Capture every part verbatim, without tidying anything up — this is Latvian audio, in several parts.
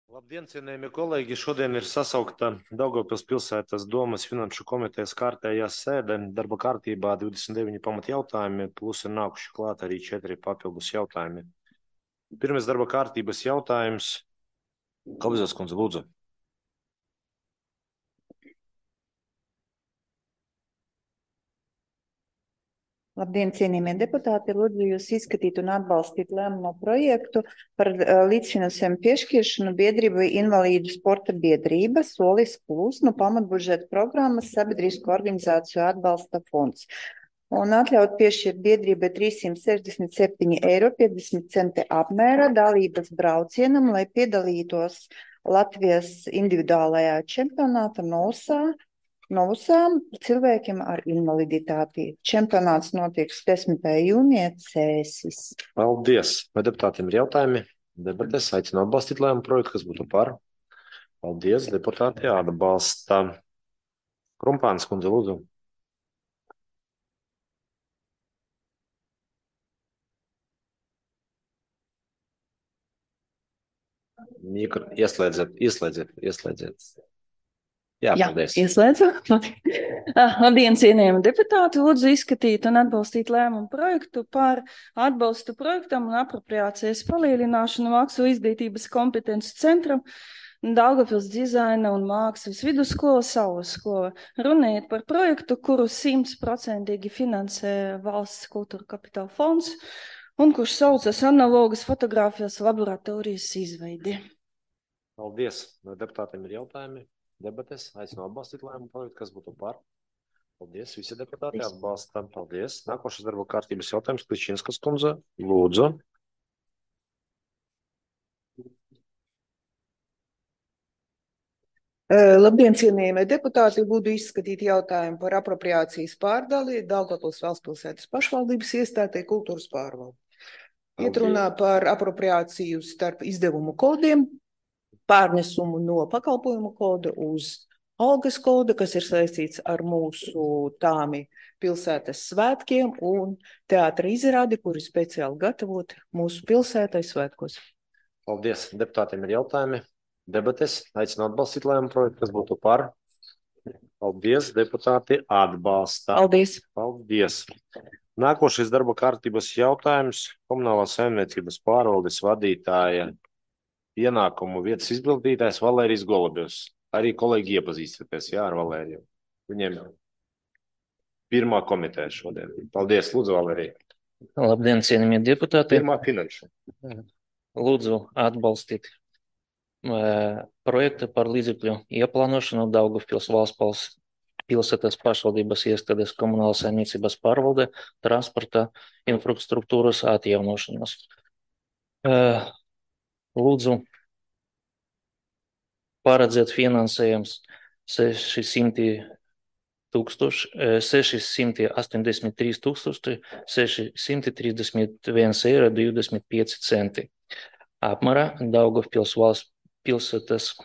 Labdien, cienījamie kolēģi! Šodien ir sasaukta Daugavpils pilsētas domas finanšu komitejas kārtējā sēde. Darba kārtībā divdesmit deviņi pamatjautājumi, plus ir nākuši klāt arī četri papildus jautājumi. Pirmais darba kārtības jautājums. Kalvizos kundze, lūdzu. Labdien, cienījamie deputāti! Lūdzu jūs izskatīt un atbalstīt lēmumu projektu par līdzfinansējumu piešķiršanu biedrībai Invalīdu sporta biedrība Solis Plus no pamatbudžeta programmas Sabiedrisko organizāciju atbalsta fonds. Un atļaut piešķirt biedrībai trīssimt sešdesmit septiņi eiro piecdesmit centi apmērā dalības braucienam, lai piedalītos Latvijas individuālajā čempionāta Nosā. Novusām cilvēkiem ar invaliditāti. Čempionāts notiks desmitajā jūnijā Cēsis. Paldies! Vai deputātiem ir jautājumi? Debates aicinu atbalstīt lēmumu projektu, kas būtu par. Paldies, deputāti atbalsta. Krumpāns kundze, lūdzu. Mikro, ieslēdziet, ieslēdziet, ieslēdziet. Jā, paldies. Jā, ieslēdzu. Labdien, cienījami deputāti, lūdzu izskatīt un atbalstīt lēmumu projektu par atbalstu projektam un apropriācijas palielināšanu Mākslu izglītības kompetences centram Daugavpils dizaina un mākslas vidusskola Saules skola. Runājot par projektu, kuru simtprocentīgi finansē Valsts kultūra kapitāla fonds un kurš saucas analogas fotogrāfijas laboratorijas izveidi. Paldies. Vai deputātiem ir jautājumi? Debates aicinu atbalstīt lēmumu projektu, kas būtu par. Paldies, visi deputāti atbalsta. Paldies. Nākošais darba kārtības jautājums, Kličinskas kundze. Lūdzu. Labdien, cienījamie deputāti, lūdzu izskatīt jautājumu par apropriācijas pārdali Daugavpils valstspilsētas pašvaldības iestādē kultūras pārvalde. Iet runā par apropriāciju starp izdevumu kodiem, pārnesumu no pakalpojumu koda uz algas koda, kas ir saistīts ar mūsu tāmi pilsētas svētkiem un teātra izrādi, kuri speciāli gatavoti mūsu pilsētai svētkos. Paldies. Deputātiem ir jautājumi. Debates aicinu atbalstīt lēmumu projektu, kas būtu par. Paldies. Deputāti atbalsta. Paldies. Paldies. Nākošais darba kārtības jautājums. Komunālās saimniecības pārvaldes vadītāja ienākumu vietas izpildītājs Valērijas Golubjovs. Arī kolēģi iepazīstaties, jā, ar Valēriju. Viņiem pirmā komiteja šodien. Paldies, lūdzu, Valērija. Labdien, cienījamie deputāti. Pirmā finanšu. Lūdzu atbalstīt uh, projektu par līdzekļu ieplānošanu Daugavpils valsts pilsētas pašvaldības iestādes komunālās saimniecības pārvalde transporta infrastruktūras atjaunošanas. Uh, Lūdzu paredzēt finansējums sešisimti astoņdesmit trīs tūkstoši sešisimti trīsdesmit viens eiro divdesmit pieci centi. Apmērā Daugavpils valsts pilsētas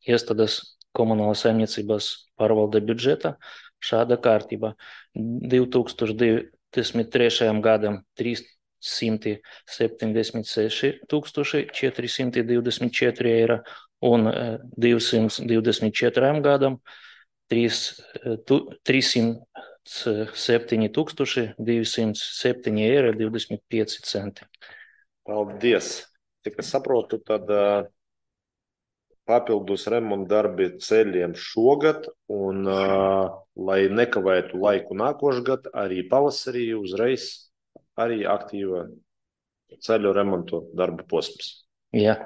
iestādes komunālās saimniecības pārvalde budžeta šāda kārtība. divi tūkstoši divdesmit trešajam gadam trīssimti septiņdesmit seši tūkstoši četri simti divdesmit četri eiro un divsimt divdesmit četram gadam trīssimt septiņi tūkstoši divsimt septiņi eiro divdesmit pieci centi. Paldies. Tik es saprotu, tad uh, papildus remonta darbi ceļiem šogad un, uh, lai nekavētu laiku nākošgad, arī pavasarī uzreiz arī aktīva ceļu remontu darba posms. Jā.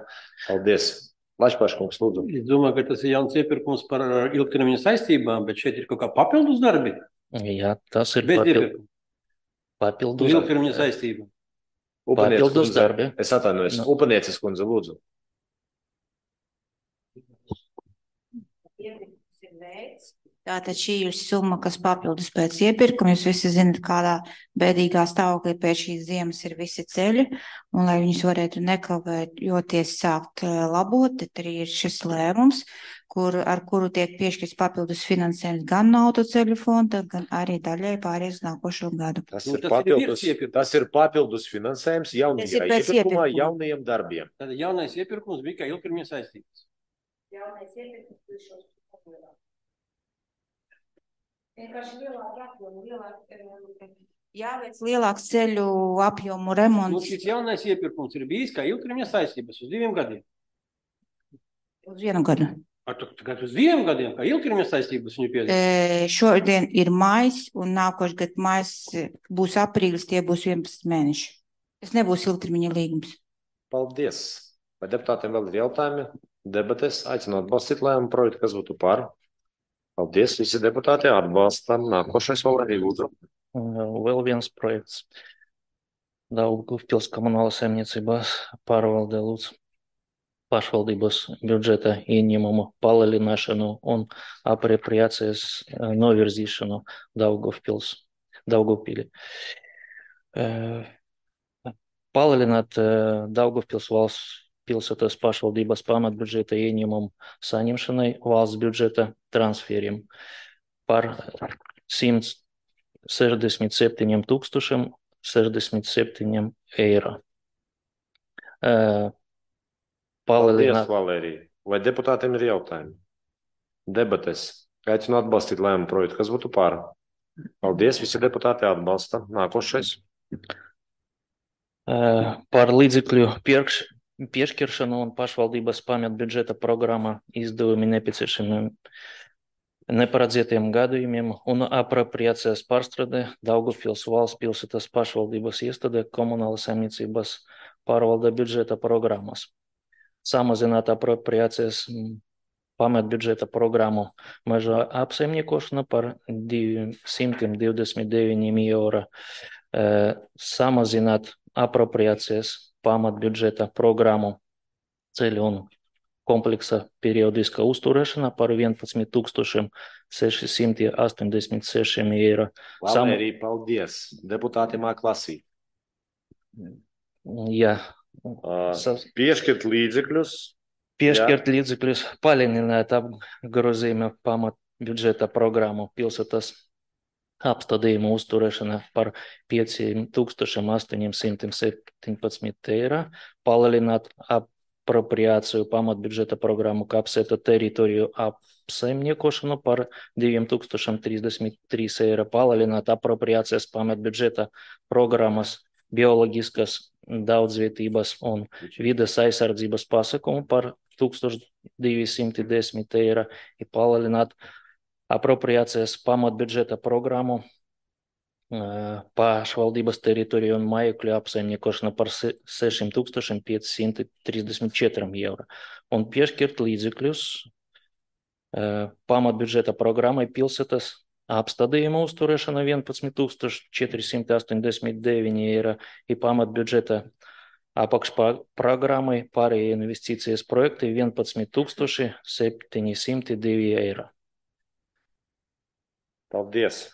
Paldies. Lašpaškungs, lūdzu. Es domāju, ka tas ir jauns iepirkums par ilgtermiņa saistībām, bet šeit ir kaut kā papildus darbi. Jā, tas ir papildus, papildus ilgtermiņa saistība. Papildus darbi. Es atvainojos. No. Upanieces kundze, lūdzu. Iepirkums ir veids, Tātad šī ir summa, kas papildus pēc iepirkuma. Jūs visi zinat, kādā bēdīgā stāvoklī pēc šīs ziemas ir visi ceļi, un lai viņus varētu nekavējoties sākt labot, tad arī ir šis lēmums, kur, ar kuru tiek piešķirts papildus finansējums gan no autoceļu fonda, gan arī daļai pāries nākošo gadu. Tas, Nu, ir tas ir papildus, virs iepirkuma. tas ir papildus finansējums Tas ir jaunajā pēc iepirkumā, iepirkuma. jaunajiem darbiem. Tad jaunais iepirkums bija kā ilgtermiņa saistības. Jaunais iepirkums šos papildus. Vienkārši lielāk apjomu, lielāk, jāveic lielāks ceļu apjomu Nu, remonts šis jaunais iepirkums ir bijis kā ilgtermiņa saistības uz diviem gadiem. uz vienu gadu. Ar tu tagad uz diviem gadiem, kā ilgtermiņa saistības viņu piedod. E, šodien ir maijs, un nākošais gads maijs būs aprīlis, tie būs vienpadsmit mēneši. Tas nebūs ilgtermiņa līgums. Paldies. Vai deputātiem vēl ir jautājumi? Debates aicinu atbalstīt lēmumu projektu, kas būtu par. Paldies, visi deputāti atbalstam. Nākošais vēl arī lūdzu. Vēl viens projekts. Daugavpils komunālas saimniecības pārvalde lūdzu pašvaldības budžeta ieņēmumu palielināšanu un apropriācijas novirzīšanu Daugavpils, Daugavpili. Palielināt Daugavpils valsts pilsētas pašvaldības pamatbudžeta ieņēmumu saņemšanai valsts budžeta transferiem par simt sešdesmit septiņiem tūkstošiem sešdesmit septiņiem eiro. Paldies, Palielināt Valērija. Vai deputātiem ir jautājumi? Debates. Aicinu atbalstīt lēmumu projektu, kas būtu par. Paldies, visi deputāti atbalsta. Nākošais. par līdzekļu pirkš, piešķiršanu un pašvaldības pamatbudžeta programmā izdevumi nepieciešamiem neparedzētiem gadījumiem un apropriācijas pārstrāde Daugavpils valsts pilsētas pašvaldības iestāde komunālas saimniecības pārvalde budžeta programmas. Samazināt apropriācijas pamatbudžeta programmu meža apsaimniekošana par divsimt divdesmit deviņiem eiro. Samazināt apropriācijas pamatbudžeta programmu ceļu un kompleksa periodiska uzturēšana par vienpadsmit tūkstošiem sešsimt astoņdesmit sešiem eiro. Valērija, paldies. Deputāti māk lasīt. Jā. Uh, piešķirt līdzekļus. Piešķirt līdzekļus, palielināt apgrozījumu pamatbudžeta programmu pilsētas apstādījumu uzturēšana par pieciem tūkstošiem astoņsimt septiņpadsmit eiro, palielināt apropriāciju pamatbudžeta programmu kapsētu teritoriju apsaimniekošanu par diviem tūkstošiem trīsdesmit trīs eiro, palielināt apropriācijas pamatbudžeta programmas bioloģiskas daudzvietības un vides aizsardzības pasākumu par tūkstoš divsimt desmit eiro, ir palielināt apropriācijas pamatbudžeta programmu pašvaldības teritoriju un mājokļu apsaimniekošana par sešiem tūkstošiem piecsimt trīsdesmit četriem eiro un piešķirt līdzekļus pamatbudžeta programmai pilsētas apstādījuma uzturēšana vienpadsmit tūkstoši četrsimt astoņdesmit deviņi eiro ir pamatbudžeta apakšprogrammai pārējie investīcijas projekti vienpadsmit tūkstoši septiņsimt divi eiro. Paldies.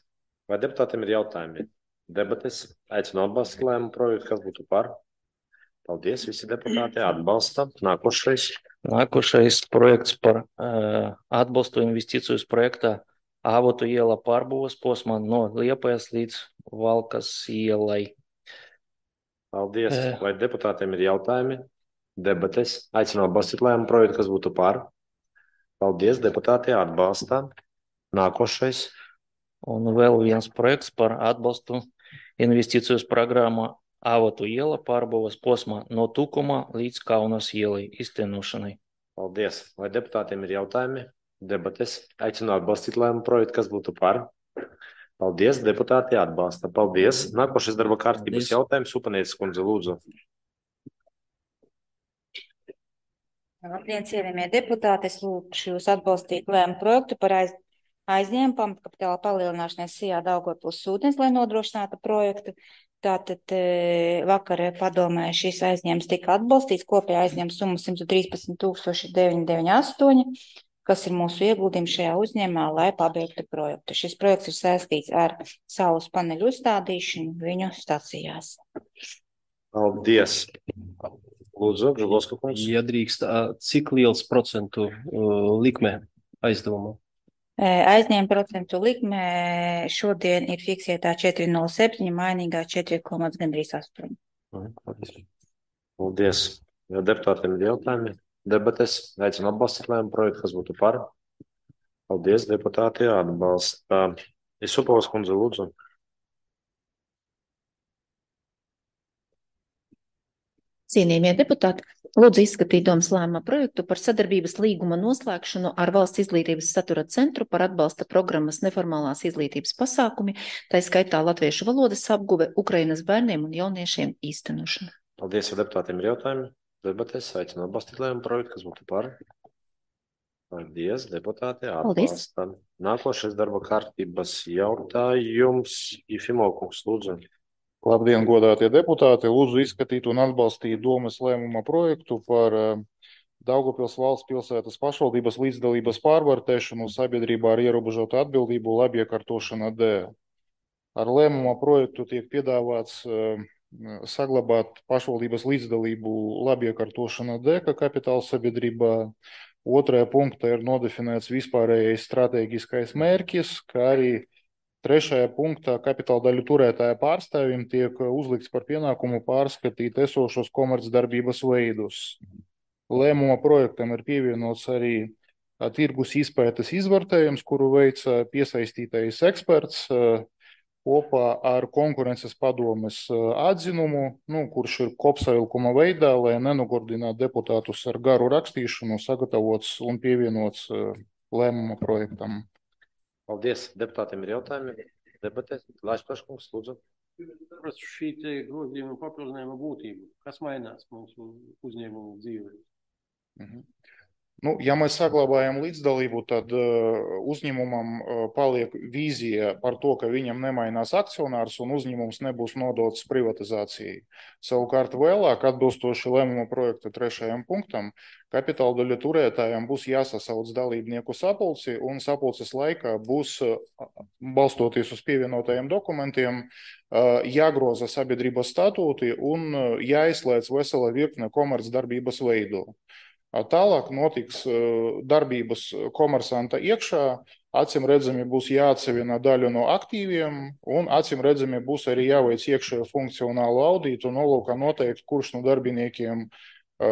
Vai deputātiem ir jautājumi? Debates. Aicinu atbalstīt lēmumu projektu, kas būtu par. Paldies, visi deputāti atbalsta. Nākošais. Nākošais projekts par uh, atbalstu investīcijas projektā Avotu iela pārbūves posmā no Liepājas līdz Valkas ielai. Paldies. Vai deputātiem ir jautājumi? Debates. Aicinu atbalstīt lēmumu projektu, kas būtu par. Paldies, deputāti atbalsta. Nākošais. Un vēl viens projekts par atbalstu investīcijas programmu Avotu iela pārbūves posmā no Tukuma līdz Kaunas ielai iztenošanai. Paldies. Vai deputātiem ir jautājumi? Debates. Aicinu atbalstīt lēmumu projektu, kas būtu par. Paldies, deputāti atbalsta. Paldies. Nākošais darba kārtības jautājums. Upanietis kundze, lūdzu. Labdien, cienījamie deputāti, es lūkšu jūs atbalstīt lēmumu projektu par aiz, aizņēmumu pamatkapitāla palielināšanai Sijā Daugavpils ūdens, lai nodrošinātu projektu. Tātad vakar padomē šis aizņēmums tika atbalstīts, kopējā aizņēmuma summa simt trīspadsmit tūkstoši deviņi deviņi astoņi. kas ir mūsu ieguldījums šajā uzņēmumā, lai pabeigtu projektu. Šis projekts ir saistīts ar saules paneļu uzstādīšanu viņu stacijās. Paldies. Lūdzu, Žulovska kungs. Ja drīkst, ā, cik liels procentu uh, likme aizdevumā? Aizņēma procentu likme šodien ir fiksētā četri nulle septiņi, mainīgā četri, gandrīz astoņi. Paldies. Ja deputātiem ir jautājumi, debates, aicinu atbalstīt lēmumu projektu, kas būtu par. Paldies, deputāti atbalsta. Isupovas kundze, lūdzu. Cienījamie deputāti, lūdzu izskatīt domas lēmuma projektu par sadarbības līguma noslēgšanu ar Valsts izglītības satura centru par atbalsta programmas neformālās izglītības pasākumi, tā skaitā latviešu valodas apguve Ukrainas bērniem un jauniešiem īstenošanu. Paldies, ja deputātiem ir jautājumi. Debates, aicinu atbalstīt lēmumu projektu, kas būtu par. Paldies, deputāti atbalsta. Nākošais darba kārtības jautājums. Jefimov kungs, lūdzu. Labdien, godātie deputāti! Lūdzu izskatīt un atbalstīt domas lēmuma projektu par Daugavpils valsts pilsētas pašvaldības līdzdalības pārvērtēšanu sabiedrībā ar ierobežotu atbildību labiekārtošana dēļ. Ar lēmuma projektu tiek piedāvāts saglabāt pašvaldības līdzdalību labiekārtošana dēļ, kā kapitāla sabiedrībā. Otrajā punktā ir nodefinēts vispārējais stratēģiskais mērķis, kā arī trešajā punktā kapitāla daļu turētāja pārstāvjiem tiek uzlikts par pienākumu pārskatīt esošos komercdarbības veidus. Lēmuma projektam ir pievienots arī tirgus izpētes izvērtējums, kuru veica piesaistītais eksperts kopā ar konkurences padomes atzinumu, nu, kurš ir kopsavilkuma veidā, lai nenogurdinātu deputātus ar garu rakstīšanu, sagatavots un pievienots lēmuma projektam. Paldies. Deputātiem ir jautājumi. Debatēs. Lāčs Plaškungs, lūdzu. Prasu šī te grozījuma papildinājuma būtību. Kas mainās mūsu uzņēmumu dzīvē? Mhm. Nu, ja mēs saglabājam līdzdalību, tad uh, uzņēmumam uh, paliek vīzija par to, ka viņam nemainās akcionārs un uzņēmums nebūs nodots privatizācijai. Savukārt vēlāk, atbilstoši lēmuma projekta trešajam punktam, kapitāla daļu turētājiem būs jāsasauc dalībnieku sapulci un sapulces laikā būs, uh, balstoties uz pievienotajiem dokumentiem, uh, jāgroza sabiedrības statūti un uh, jāizslēdz vesela virkne komercdarbības veidu. Tālāk notiks darbības komersanta iekšā, acīm redzami būs jāatseviena daļa no aktīviem un acīm redzami būs arī jāveic iekšējo funkcionālu audītu, nolūkā noteikt, kurš no darbiniekiem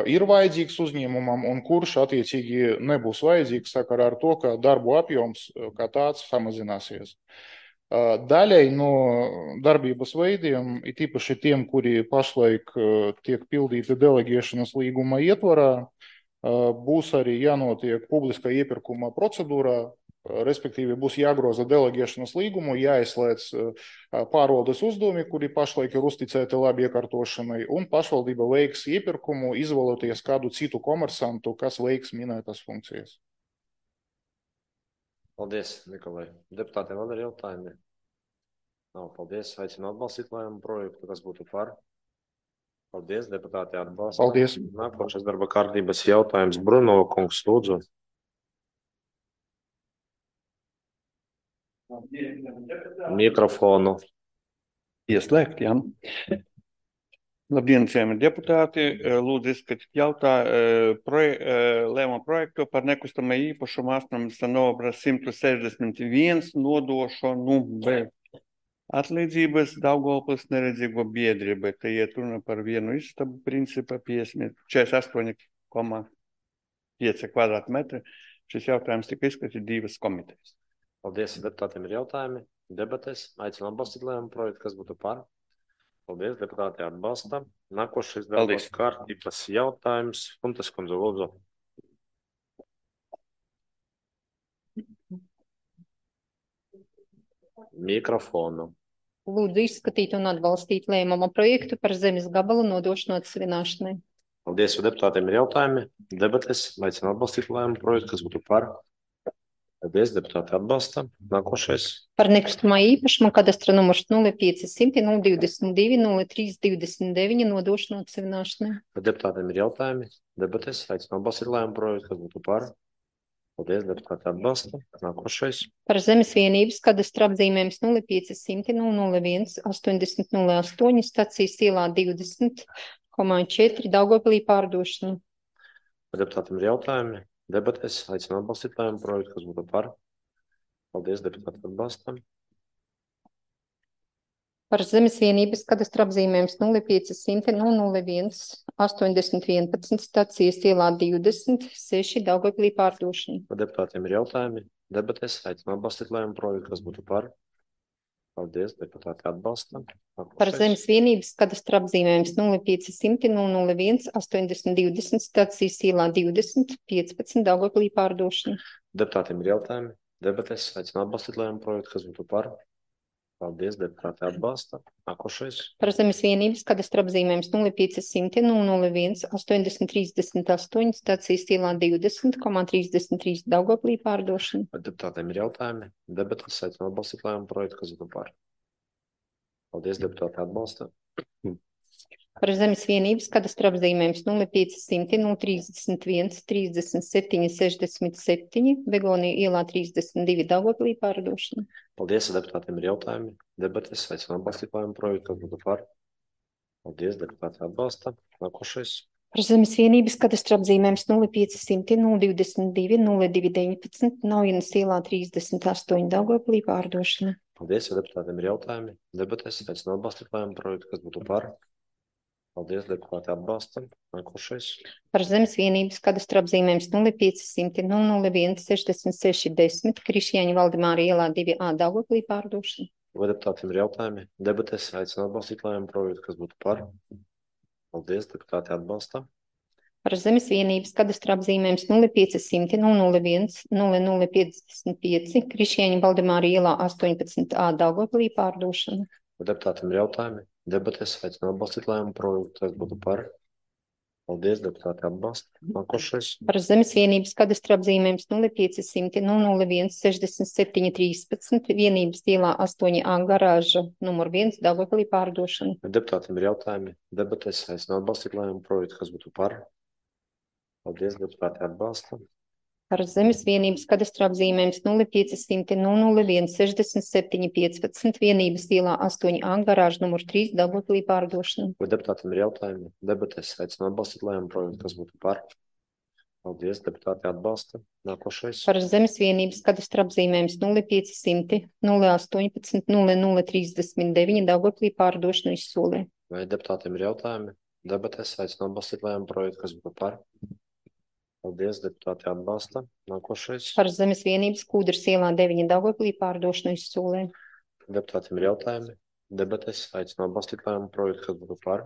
ir vajadzīgs uzņēmumam un kurš attiecīgi nebūs vajadzīgs sakarā ar to, ka darbu apjoms kā tāds samazināsies. Daļai no darbības veidiem, it īpaši tiem, kuri pašlaik tiek pildīti deleģēšanas līguma ietvarā, būs arī jānotiek publiskā iepirkuma procedūrā, respektīvi būs jāgroza deleģēšanas līgumu, jāizslēdz pārvaldes uzdevumi, kuri pašlaik ir uzticēti labi iekārtošanai, un pašvaldība veiks iepirkumu, izvēloties kādu citu komersantu, kas veiks minētas funkcijas. Paldies, Nikolai. Deputātiem vēl ir jautājumi? Nav, paldies. Aicinu atbalstīt lēmumu projektu, kas būtu par. Paldies, deputāti atbalsta. Paldies. Nākošais darba kārtības jautājums. Bruno kungs, lūdzu. Mikrofonu. Ieslēgt, jā. Labdien, cienījamie deputāti. Lūdzu izskatīt jautājumu proje, lēmumu projektu par nekustamā īpašuma astronomiskā numura simt sešdesmit viens nodošanu bez atlīdzības Daugavpils neredzīgo biedrībai. Te iet runa par vienu istabu principā četrdesmit astoņi komā pieci kvadrātmetri. Šis jautājums tika izskatīt divas komitejas. Paldies, deputātiem ir jautājumi. Debates. Aicinu atbalstīt lēmumu projektu, kas būtu par. Paldies, deputāti atbalsta. Nākošais darbas kārtības jautājums. Funtas kundze, lūdzu. Mikrofonu. Lūdzu izskatīt un atbalstīt lēmuma projektu par zemes gabalu nodošanu atsevināšanai. Paldies, ja deputātiem ir jautājumi. Debates. Aicinu atbalstīt lēmumu projektu, kas būtu par. Paldies, deputāti atbalsta. Nākošais. Par nekustamā īpašuma kadastra numurs nulle pieci simti nulle divdesmit divi nulle trīs divdesmit deviņi nodošanu atsevināšanai. Deputātiem ir jautājumi. Debates. Aicinu atbalstīt lēmumu projektu, kas būtu par. Paldies, deputāti atbalsta. Nākošais. Par zemes vienības kadastra apzīmējums nulle pieci simti nulle nulle viens astoņdesmit nulle astoņi stacijas ielā divdesmit koma četri Daugavpilī pārdošanu. Vai deputātiem ir jautājumi? Debatēs aicinu atbalstīt lēmumu projektu, kas būtu par. Paldies, deputāti atbalstam. Par zemes vienības kadastra apzīmējums nulle pieci simti nulle nulle viens astoņdesmit vienpadsmit stacijas ielā divdesmit seši Daugavpilī pārdošanu. Vai deputātiem ir jautājumi? Debatēs aicinu atbalstīt lēmumu projektu, kas būtu par. Paldies, deputāti atbalstam. Par zemes vienības kadastra apzīmējums nulle pieci simti nulle nulle viens astoņdesmit divdesmit stacijas ielā divdesmit piecpadsmit Daugavpilī pārdošanu. Deputātiem ir jautājumi? Debatēs aicinu atbalstīt lēmumu projektu, kas būtu par. Paldies, deputāti atbalsta. Nākošais. Par zemes vienības kadastra apzīmējums nulle pieci simti nulle nulle viens astoņdesmit trīsdesmit astoņi stacijas ielā divdesmit koma trīsdesmit trīs Daugavpilī pārdošanu. Vai deputātiem ir jautājumi? Debatēs aicinu atbalstīt lēmumu projektu, kas būtu par. Paldies, deputāti atbalsta. Par zemes vienības kadastra apzīmējums nulle pieci simti nulle trīsdesmit viens trīsdesmit septiņi sešdesmit septiņi Begonija ielā trīsdesmit divi Daugavpilī pārdošana. Paldies, deputātiem ir jautājumi. Debatēs aicinu atbalstīt lēmumu projektu, kas būtu par. Paldies, deputāti atbalsta. Nākošais. Par zemes vienības kadastra apzīmējums nulle pieci simti nulle divdesmit divi nulle divi deviņpadsmit Naujienas ielā trīsdesmit astoņi Daugavpilī pārdošana. Paldies, deputātiem ir jautājumi. Debatēs aicinu atbalstīt lēmumu projektu, kas būtu par. Paldies, deputāti atbalstam. Nākošais. Par zemes vienības kadastra apzīmējums nulle pieci simti nulle nulle viens sešdesmit seši desmit Krišjāņa Valdemāra ielā divi A Daugavpilī pārdošana. Vai deputātiem ir jautājumi? Debatēs aicinu atbalstīt lēmumu projektu, kas būtu par. Paldies, deputāti atbalstam. Par zemes vienības kadastra apzīmējums nulle pieci simti nulle nulle viens nulle nulle piecdesmit pieci Krišjāņa Valdemāra ielā astoņpadsmit A Daugavpilī pārdošana. Vai deputātiem ir jautājumi? Debatēs aicinu atbalstīt lēmumu projektu, kas būtu par. Paldies, deputāti atbalsta. Nākošais. Par zemes vienības kadastra apzīmējums nulle pieci simti nulle nulle viens sešdesmit septiņi trīspadsmit vienības ielā astoņi A garāža numur viens Daugavpilī pārdošana. Vai deputātiem ir jautājumi? Debatēs aicinu atbalstīt lēmumu projektu, kas būtu par. Paldies, deputāti atbalsta. Par zemes vienības kadastra apzīmējums nulle pieci simti nulle nulle viens sešdesmit septiņi piecpadsmit vienības ielā astoņi A garāža numur trīs Daugavpilī pārdošana. Vai deputātiem ir jautājumi? Debatēs aicinu atbalstīt lēmumu projektu, kas būtu par. Paldies, deputāti atbalsta. Nākošais. Par zemes vienības kadastra apzīmējums nulle pieci simti nulle astoņpadsmit nulle nulle trīsdesmit deviņi Daugavpilī pārdošana izsolē. Vai deputātiem ir jautājumi? Debatēs aicinu atbalstīt lēmumu projektu, kas būtu par. Paldies, deputāti atbalsta. Nākošais. Par zemes vienības Kūdras ielā deviņi Daugavpilī pārdošana izsolē. Deputātiem ir jautājumi. Debatēs aicinu atbalstīt lēmumu projektu, kas būtu par.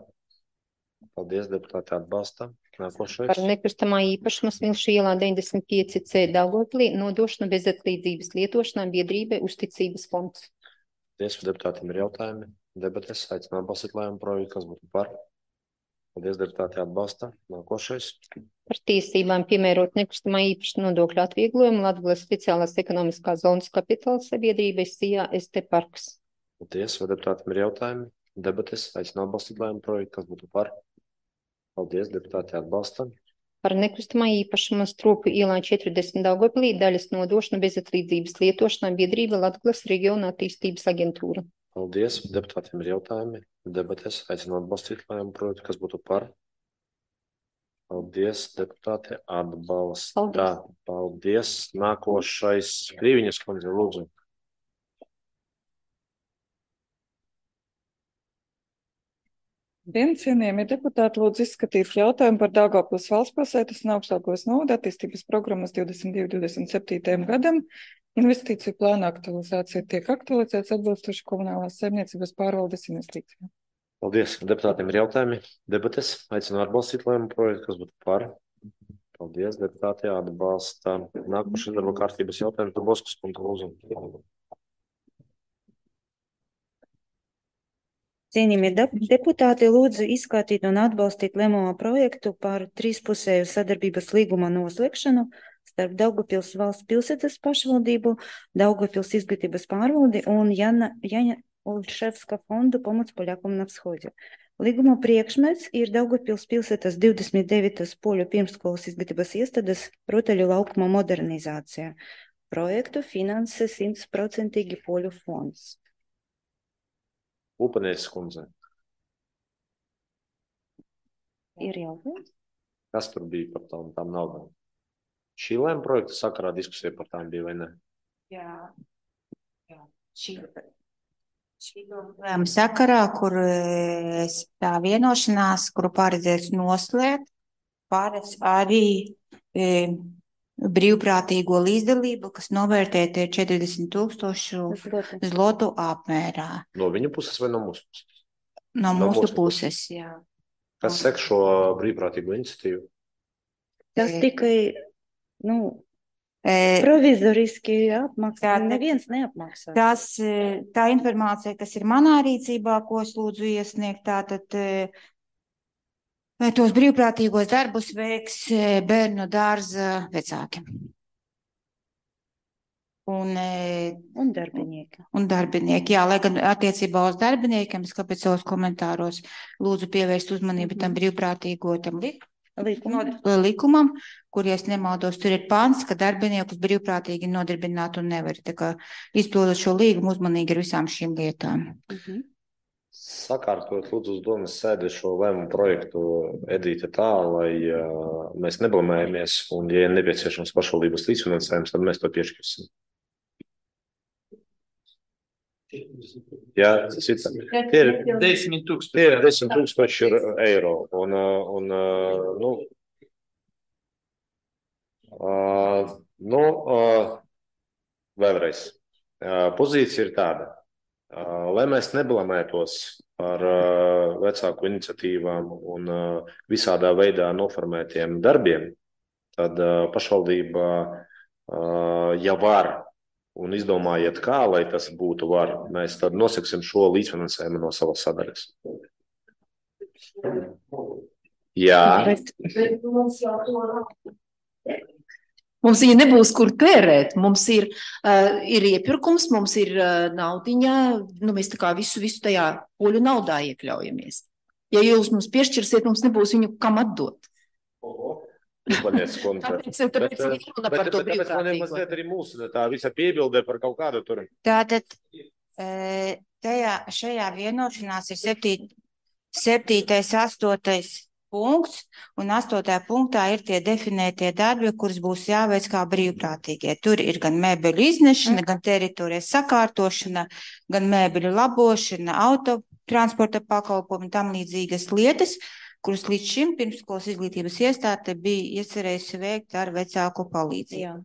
Paldies, deputāti atbalsta. Nākošais. Par nekustamā īpašuma Smilšu ielā deviņdesmit pieci C Daugavpilī nodošana bezatlīdzības lietošanā biedrībai Uzticības fonds. Paldies, deputātiem ir jautājumi. Debatēs aicinu atbalstīt lēmumu projektu, kas būtu par. Paldies, deputāti atbalsta. Nākošais. Par tiesībām piemērot nekustamā īpašuma nodokļu atvieglojumu Latgales speciālās ekonomiskās zonas kapitāla sabiedrībai Sijā S T Parks. Paldies, vai deputātiem ir jautājumi? Debatēs aicinu atbalstīt lēmumu projektu, kas būtu par. Paldies, deputāti atbalsta. Par nekustamā īpašuma Stropu ielā četrdesmit Daugavpilī daļas nodošanu bezatlīdzības lietošanā biedrība Latgales reģiona attīstības aģentūra. Paldies, deputātiem ir jautājumi. Debatēs aicinu atbalstīt lēmumu projektu, kas būtu par. Paldies, deputāti atbalsta. Paldies. Paldies. Nākošais Krīviņas kundze, lūdzu. Dien, cienījamie deputāti, lūdzu izskatīt jautājumu par Daugavpils valstspilsētas un Augstākos novada attīstības programmas divdesmit divi divdesmit septītajam gadam. Investīciju plāna aktualizācija tiek aktualizēts atbilstoši komunālās saimniecības pārvaldes investīcijām. Paldies. Deputātiem ir jautājumi. Debates aicinu atbalstīt lēmumu projektu, kas būtu par. Paldies, deputāti atbalsta. Nākošais darba kārtības jautājums par Boskas punktu lūdzu. Cienījamie deputāti, lūdzu izskatīt un atbalstīt lēmumu projektu par trīspusēju sadarbības līguma noslēgšanu starp Daugavpils valsts pilsētas pašvaldību, Daugavpils izglītības pārvaldi un Jana, Jana Olševska fondu pomoc Poļakom na Всходе. Līguma priekšmets ir Daugavpils pilsētas divdesmit devītās poļu pirmsskolas izglītības iestādes rotaļu laukuma modernizācija. Projektu finansē simtprocentīgi poļu fonds. Upanieks kundze. Ir jautājums? Kas tur bija par tām, tām naudām? Šī lēma projekta sakarā diskusija par tām bija vai ne? Jā. Jā. Šī, šī lēma sakarā, kur e, tā vienošanās, kuru paredzēts noslēgt, paredz arī e, brīvprātīgo līdzdalību, kas novērtēta ir četrdesmit tūkstošu zlotu apmērā. No viņa puses vai no mūsu puses? No, no mūsu puses, puses, jā. Kas sek šo brīvprātīgo iniciatīvu? Tas tikai, nu, e, provizoriski apmaksā, neviens neapmaksā. Tas, tā informācija, kas ir manā rīcībā, ko es lūdzu iesniegt, tātad tos brīvprātīgos darbus veiks bērnu dārza vecāki. Un, un darbinieki. Un darbinieki, jā, lai gan attiecībā uz darbiniekiem, es kāpēc savos komentāros lūdzu pievērst uzmanību tam brīvprātīgo tam likumam, likumam, kur, ja es nemaldos, tur ir pants, ka darbiniekus brīvprātīgi nodarbināt un nevar. Tā kā izpildot šo līgumu uzmanīgi ar visām šīm lietām. Mhm. Sakārtot lūdzu uz domas sēdi šo lēmumu projektu Edīte tā, lai uh, mēs neblamējamies un, ja ir nepieciešams pašvaldības līdzfinansējums, tad mēs to piešķirsim. Jā, tas ir, tie ir desmit tūkstoši. Tie ir desmit tūkstoši eiro. Un, un, nu, uh, nu uh, vēlreiz, uh, pozīcija ir tāda. Uh, lai mēs neblamētos par uh, vecāku iniciatīvām un uh, visādā veidā noformētiem darbiem, tad uh, pašvaldība, uh, ja var un izdomājiet kā, lai tas būtu var, mēs tad nosaksim šo līdzfinansējumu no savas sadaļas. Jā. Bet, bet mums jau to nav. Mums viņa nebūs, kur tērēt. Mums ir, uh, ir iepirkums, mums ir uh, naudiņa, nu mēs tā kā visu, visu tajā poļu naudā iekļaujamies. Ja jūs mums piešķirsiet, mums nebūs viņu kam atdot. Oho, tāpēc, tāpēc, tāpēc bet, bet, bet, tāpēc man ir mazliet arī mūsu tā visa piebildē par kaut kādu tur. Tātad tajā, šajā vienošanās ir septīt, septītais, astotais punkts, un astotajā punktā ir tie definētie darbi, kurus būs jāveic kā brīvprātīgie. Tur ir gan mēbeļu iznešana, mm. gan teritorijas sakārtošana, gan mēbeļu labošana, autotransporta pakalpojumi, tam līdzīgas lietas, kuras līdz šim pirmsskolas izglītības iestāde bija iecerējusi veikt ar vecāku palīdzību.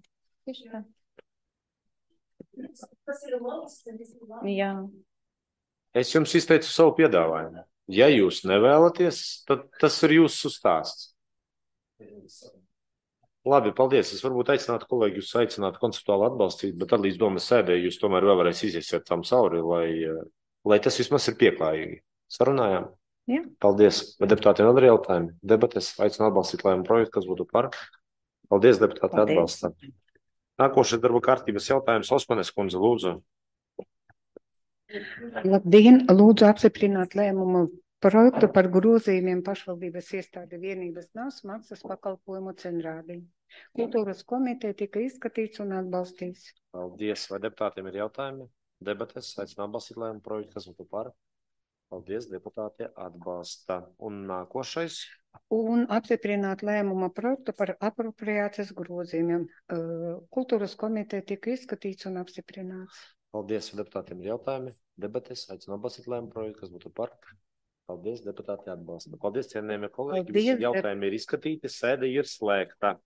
Jā. Jā. Es jums izteicu savu piedāvājumu. Ja jūs nevēlaties, tad tas ir jūsu stāsts. Labi, paldies. Es varbūt aicinātu kolēģi, jūs aicinātu konceptuāli atbalstīt, bet tad līdz domas sēdē jūs tomēr vēl varēs iziesiet tam cauri, lai, lai tas vismaz ir pieklājīgi. Sarunājām? Jā. Paldies. Vai deputātiem vēl ir jautājumi? Debates aicinu atbalstīt lēmumu projektu, kas būtu par. Paldies, deputāti, atbalsta. Nākošais darba kārtības jautājums. Osmanes kundze, lūdzu. Labdien, lūdzu apstiprināt lēmumu projektu par grozījumiem pašvaldības iestāde vienības nās maksas pakalpojumu cenrādī. Kultūras komiteja tika izskatīts un atbalstīts. Paldies. Vai deputātiem ir jautājumi? Debates aicinu atbalstīt lēmumu projektu, kas būtu par. Paldies, deputāti atbalsta. Un nākošais? Un apstiprināt lēmuma projektu par apropriācijas grozījumiem. Kultūras komiteja tika izskatīts un apstiprināts. Paldies, deputātiem ir jautājumi. Debates aicinu atbalstīt lēmumu projektu, kas būtu par. Paldies, deputāti atbalsta. Paldies, cienījamie kolēģi. Visi jautājumi ir izskatīti, sēde ir slēgta.